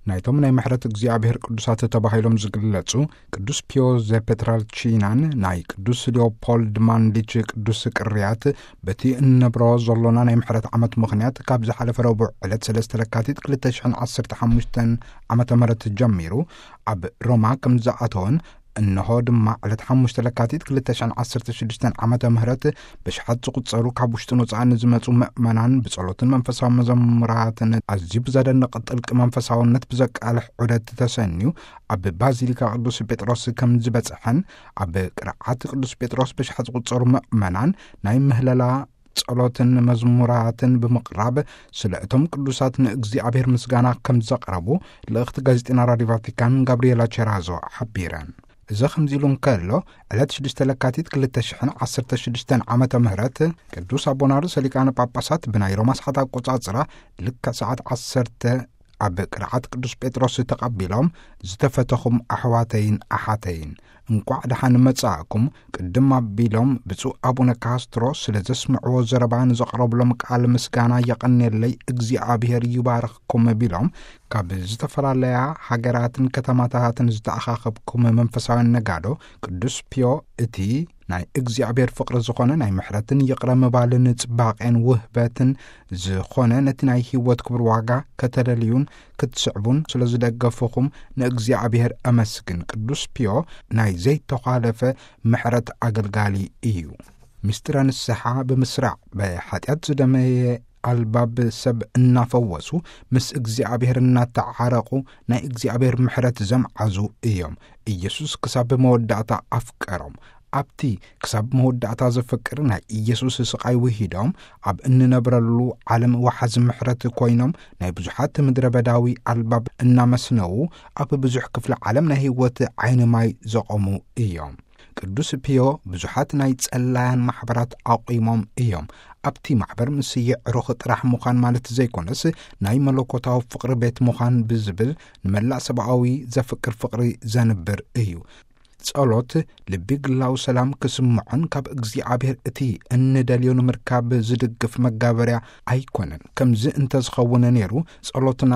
ናይቶም ናይ ምሕረት እግዚኣብሔር ቅዱሳት ተባሂሎም ዝግለጹ ቅዱስ ፒዮ ዘፔትራልቺናን ናይ ቅዱስ ሊዮፖልድ ማንዲች ቅዱስ ቅርያት፣ በቲ እንነብሮ ዘሎና ናይ ምሕረት ዓመት ምኽንያት፣ ካብ ዝሓለፈ ረቡዕ ዕለት ሰለስተ ለካቲት ክልተ ሽሕን ዓሰርተ ሓሙሽተን ዓመተ ምህረት ጀሚሩ ኣብ ሮማ ከም ዝኣተወን፣ እንሆ ድማ ዕለት ሓሙሽተ ለካቲት ክልተ ሽሕን ዓሰርተ ሽዱሽተን ዓመተ ምህረት ብሽሓት ዝቑጸሩ ካብ ውሽጥን ወጻእን ዝመጹ ምእመናን ብጸሎትን መንፈሳዊ መዘሙራትን ኣዝዩ ብዘደንቕ ጥልቂ መንፈሳውነት ብዘቃልሕ ዑደት ተሰንዩ ኣብ ባዚሊካ ቅዱስ ጴጥሮስ ከም ዝበጽሐን፣ ኣብ ቅርዓት ቅዱስ ጴጥሮስ ብሽሓት ዝቑጸሩ ምእመናን ናይ ምህለላ ጸሎትን መዝሙራትን ብምቕራብ፣ ስለ እቶም ቅዱሳት ንእግዚኣብሔር ምስጋና ከም ዘቕረቡ ልእኽቲ ጋዜጠና ራዲዮ ቫቲካን ጋብሪኤላ ቸራዞ ሓቢረን። እዚ ከምዚ ኢሉ እንከሎ፣ ዕለት ሽዱሽተ ለካቲት ክልተ ሽሕን ዓሰርተ ሽዱሽተን ዓመተ ምህረት ቅዱስ ኣቦና ርእሰ ሊቃነ ጳጳሳት ብናይ ሮማ ሰዓት ኣቆጻጽራ ልክዕ ሰዓት ዓሰርተ ኣብ ቅርዓት ቅዱስ ጴጥሮስ ተቐቢሎም፣ "ዝተፈተኹም ኣሕዋተይን ኣሓተይን፣ እንቋዕ ደሓን መጻእኩም" ቅድም ኣቢሎም ብፁዕ ኣቡነ ካስትሮ ስለ ዘስምዕዎ ዘረባ ንዘቕረብሎም ቃል ምስጋና የቐንየለይ፣ እግዚኣብሔር ይባርኽኩም ቢሎም፣ ካብ ዝተፈላለያ ሃገራትን ከተማታትን ዝተኣኻኸብኩም መንፈሳውያን ነጋዶ ቅዱስ ፒዮ እቲ ናይ እግዚኣብሔር ፍቕሪ ዝኾነ ናይ ምሕረትን ይቕረ ምባልን ጽባቄን ውህበትን ዝኾነ ነቲ ናይ ህይወት ክቡር ዋጋ ከተለልዩን ክትስዕቡን ስለ ዝደገፉኹም ንእግዚኣብሔር ኣመስግን። ቅዱስ ፒዮ ናይ ዘይተዃለፈ ምሕረት ኣገልጋሊ እዩ። ምስጢረ ንስሓ ብምስራዕ ብሓጢኣት ዝደመየ ኣልባብ ሰብ እናፈወሱ ምስ እግዚኣብሔር እናተዓረቑ ናይ እግዚኣብሔር ምሕረት ዘምዓዙ እዮም። ኢየሱስ ክሳብ መወዳእታ ኣፍቀሮም። ኣብቲ ክሳብ መወዳእታ ዘፍቅር ናይ ኢየሱስ ስቓይ ውሂዶም ኣብ እንነብረሉ ዓለም ወሓዚ ምሕረት ኮይኖም ናይ ብዙሓት ምድረ በዳዊ ኣልባብ እናመስነዉ ኣብ ብዙሕ ክፍሊ ዓለም ናይ ህይወት ዓይኒ ማይ ዘቖሙ እዮም። ቅዱስ ፒዮ ብዙሓት ናይ ጸላያን ማሕበራት ኣቑሞም እዮም። ኣብቲ ማሕበር ምስ የዕሩኽ ጥራሕ ምዃን ማለት ዘይኮነስ ናይ መለኮታዊ ፍቕሪ ቤት ምዃን ብዝብል ንመላእ ሰብኣዊ ዘፍቅር ፍቕሪ ዘንብር እዩ። ጸሎት ልቢ ግላዊ ሰላም ክስምዖን ካብ እግዚኣብሔር እቲ እንደልዮ ንምርካብ ዝድግፍ መጋበርያ ኣይኮነን። ከምዚ እንተዝኸውን ነይሩ ጸሎትና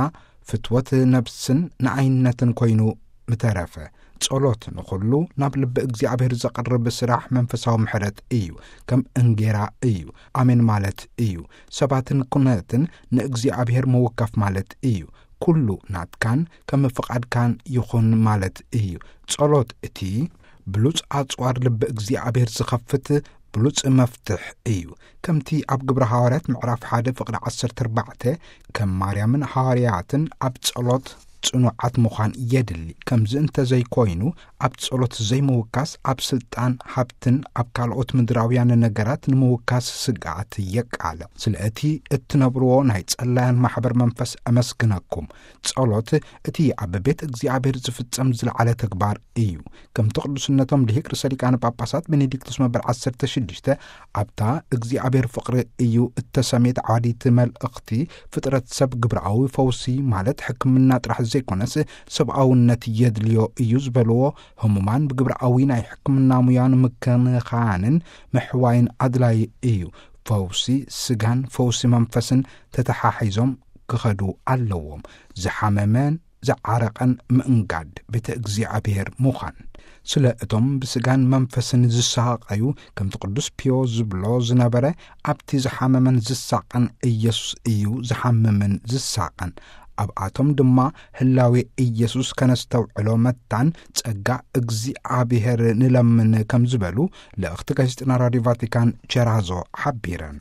ፍትወት ነብስን ንኣይነትን ኮይኑ ምተረፈ። ጸሎት ንኹሉ ናብ ልቢ እግዚኣብሔር ዘቕርብ ስራሕ መንፈሳዊ ምሕረት እዩ። ከም እንጌራ እዩ። ኣሜን ማለት እዩ። ሰባትን ኩነትን ንእግዚኣብሔር ምውካፍ ማለት እዩ። ኩሉ ናትካን ከም ፍቓድካን ይኹን ማለት እዩ። ጸሎት እቲ ብሉጽ ኣጽዋር ልቢ እግዚኣብሔር ዝኸፍት ብሉጽ መፍትሕ እዩ። ከምቲ ኣብ ግብረ ሃዋርያት ምዕራፍ ሓደ ፍቕዲ ዓሰርተ ኣርባዕተ፣ ከም ማርያምን ሃዋርያትን ኣብ ጸሎት ጽኑዓት ምዃን የድሊ። ከምዚ እንተዘይኮይኑ፣ ኣብ ጸሎት ዘይምውካስ ኣብ ስልጣን፣ ሃብትን ኣብ ካልኦት ምድራውያን ነገራት ንምውካስ ስግኣት የቃልዕ። ስለ እቲ እትነብርዎ ናይ ጸላያን ማሕበር መንፈስ ኣመስግነኩም። ጸሎት እቲ ኣብ ቤት እግዚኣብሔር ዝፍጸም ዝለዓለ ተግባር እዩ። ከምቲ ቅዱስነቶም ልሂቅ ርእሰ ሊቃነ ጳጳሳት ቤኔዲክቱስ መበል ዓሰርተ ሽዱሽተ ኣብታ እግዚኣብሔር ፍቕሪ እዩ እተሰምየት ዓዋዲት መልእኽቲ ፍጥረት ሰብ ግብራዊ ፈውሲ ማለት ሕክምና ጥራሕ ዘይኮነስ ሰብኣውነት የድልዮ እዩ ዝበልዎ ህሙማን ብግብራዊ ናይ ሕክምና ሙያ ንምክንኻንን ምሕዋይን ኣድላይ እዩ። ፈውሲ ስጋን ፈውሲ መንፈስን ተተሓሒዞም ክኸዱ ኣለዎም። ዝሓመመን ዝዓረቐን ምእንጋድ ቤተ እግዚኣብሔር ምዃን። ስለ እቶም ብስጋን መንፈስን ዝሳቐዩ፣ ከምቲ ቅዱስ ፒዮ ዝብሎ ዝነበረ፣ ኣብቲ ዝሓመመን ዝሳቐን ኢየሱስ እዩ ዝሓምምን ዝሳቐን። ኣብኣቶም ድማ ህላዌ ኢየሱስ ከነስተውዕሎ መታን ጸጋ እግዚኣብሔር ንለምን ከም ዝበሉ ልእኽቲ ጋዜጠና ራዲዮ ቫቲካን ቸራዞ ሓቢረን።